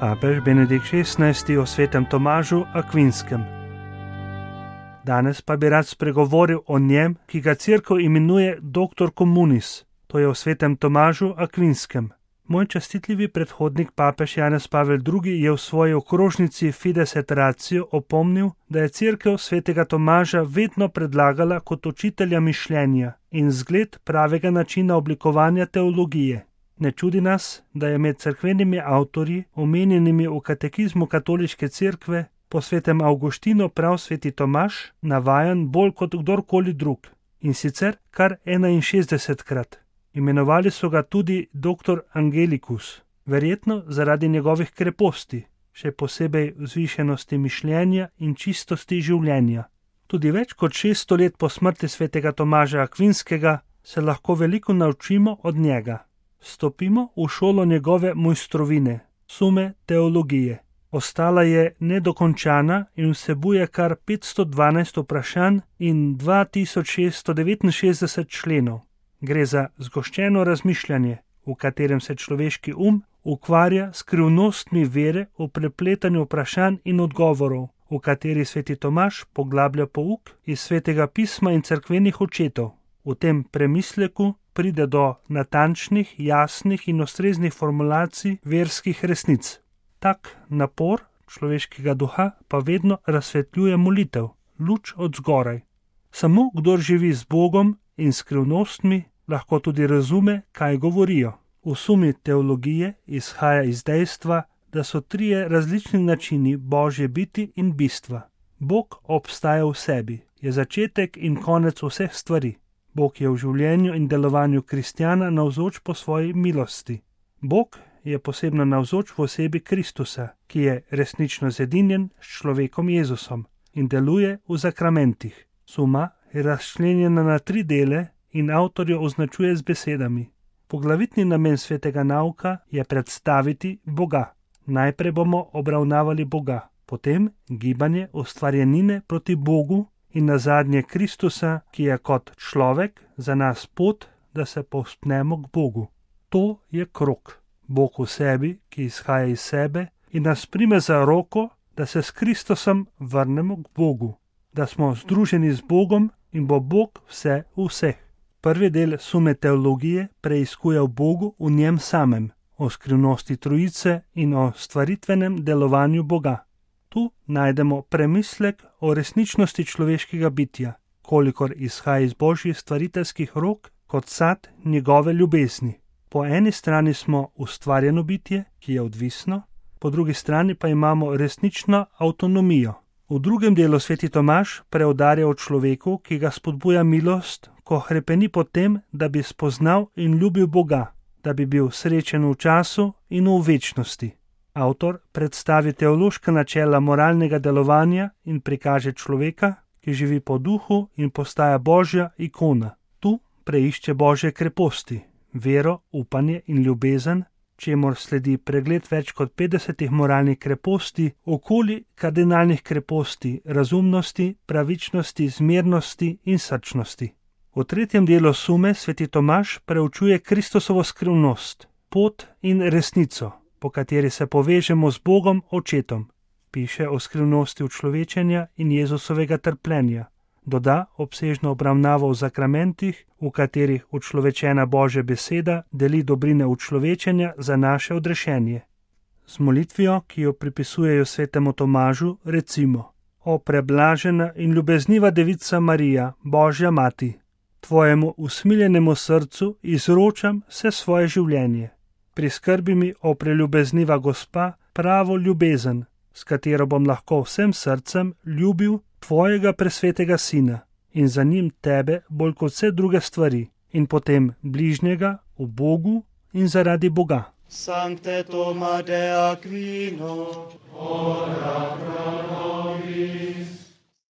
Papež Benedikt XVI o svetem Tomažu Akvinskem. Danes pa bi rad spregovoril o njem, ki ga Cerkev imenuje Doctor Communis, to je o svetem Tomažu Akvinskem. Moj častitljivi predhodnik papež Janez Pavel II je v svoji okrožnici Fides et Ratio opomnil, da je Cerkev svetega Tomaža vedno predlagala kot učitelja mišljenja in zgled pravega načina oblikovanja teologije. Ne čudi nas, da je med cerkvenimi avtorji, omenjenimi v katekizmu katoliške cerkve, po svetem Avguštinu prav sveti Tomaž navajan bolj kot kdorkoli drug, in sicer kar 61krat. Imenovali so ga tudi Doctor Angelicus, verjetno zaradi njegovih kreposti, še posebej vzvišenosti mišljenja in čistosti življenja. Tudi več kot 600 let po smrti svetega Tomaža Akvinskega se lahko veliko naučimo od njega. Stopimo v šolo njegove mojstrovine, sume teologije. Ostala je nedokončana in vsebuje kar 512 vprašanj in 2669 členov. Gre za zgoščeno razmišljanje, v katerem se človeški ukvarja s skrivnostmi vere v prepletanju vprašanj in odgovorov, v kateri sveti Tomaž poglablja pouk iz svetega pisma in cerkvenih očetov. V tem premisleku pride do natančnih, jasnih in ustreznih formulacij verskih resnic. Tak napor človeškega duha pa vedno razsvetljuje molitev, luč od zgoraj. Samo kdor živi z Bogom in skrivnostmi, lahko tudi razume, kaj govorijo. V sumi teologije izhaja iz dejstva, da so trije različni načini Božje biti in bistva. Bog obstaja v sebi, je začetek in konec vseh stvari. Bog je v življenju in delovanju kristjana navzoč po svoji milosti. Bog je posebno navzoč v osebi Kristusa, ki je resnično zedinjen s človekom Jezusom in deluje v zakramentih. Suma je razčlenjena na 3 dele in avtor jo označuje z besedami. Poglavitni namen svetega nauka je predstaviti Boga. Najprej bomo obravnavali Boga, potem gibanje ustvarjenine proti Bogu in nazadnje Kristusa, ki je kot človek za nas pot, da se povzpnemo k Bogu. To je krog. Bog v sebi, ki izhaja iz sebe in nas prime za roko, da se s Kristusom vrnemo k Bogu, da smo združeni z Bogom in bo Bog vse v vseh. Prvi del sume teologije preiskuje v Bogu v njem samem, o skrivnosti Trojice in o stvaritvenem delovanju Boga. Tu najdemo premislek o resničnosti človeškega bitja, kolikor izhaja iz Božjih stvariteljskih rok kot sad njegove ljubezni. Po eni strani smo ustvarjeno bitje, ki je odvisno, po drugi strani pa imamo resnično avtonomijo. V drugem delu sveti Tomaž preudarja o človeku, ki ga spodbuja milost, ko hrepeni po tem, da bi spoznal in ljubil Boga, da bi bil srečen v času in v večnosti. Avtor predstavi teološka načela moralnega delovanja in prikaže človeka, ki živi po duhu in postaja Božja ikona. Tu preišče Božje kreposti, vero, upanje in ljubezen, čemur sledi pregled več kot 50 moralnih kreposti, okoli kardinalnih kreposti, razumnosti, pravičnosti, zmernosti in srčnosti. V tretjem delu sume sveti Tomaž preučuje Kristusovo skrivnost, pot in resnico, po kateri se povežemo z Bogom Očetom. Piše o skrivnosti učlovečenja in Jezusovega trpljenja. Doda obsežno obravnavo v zakramentih, v katerih učlovečena Božja beseda deli dobrine učlovečenja za naše odrešenje. Z molitvijo, ki jo pripisujejo svetemu Tomažu, recimo: O preblažena in ljubezniva devica Marija, Božja mati, tvojemu usmiljenemu srcu izročam vse svoje življenje. Priskrbi mi, o preljubezniva gospa, pravo ljubezen, s katero bom lahko vsem srcem ljubil tvojega presvetega sina in za njim tebe bolj kot vse druge stvari in potem bližnjega v Bogu in zaradi Boga. Sancte Toma de Aquino, ora pro nobis.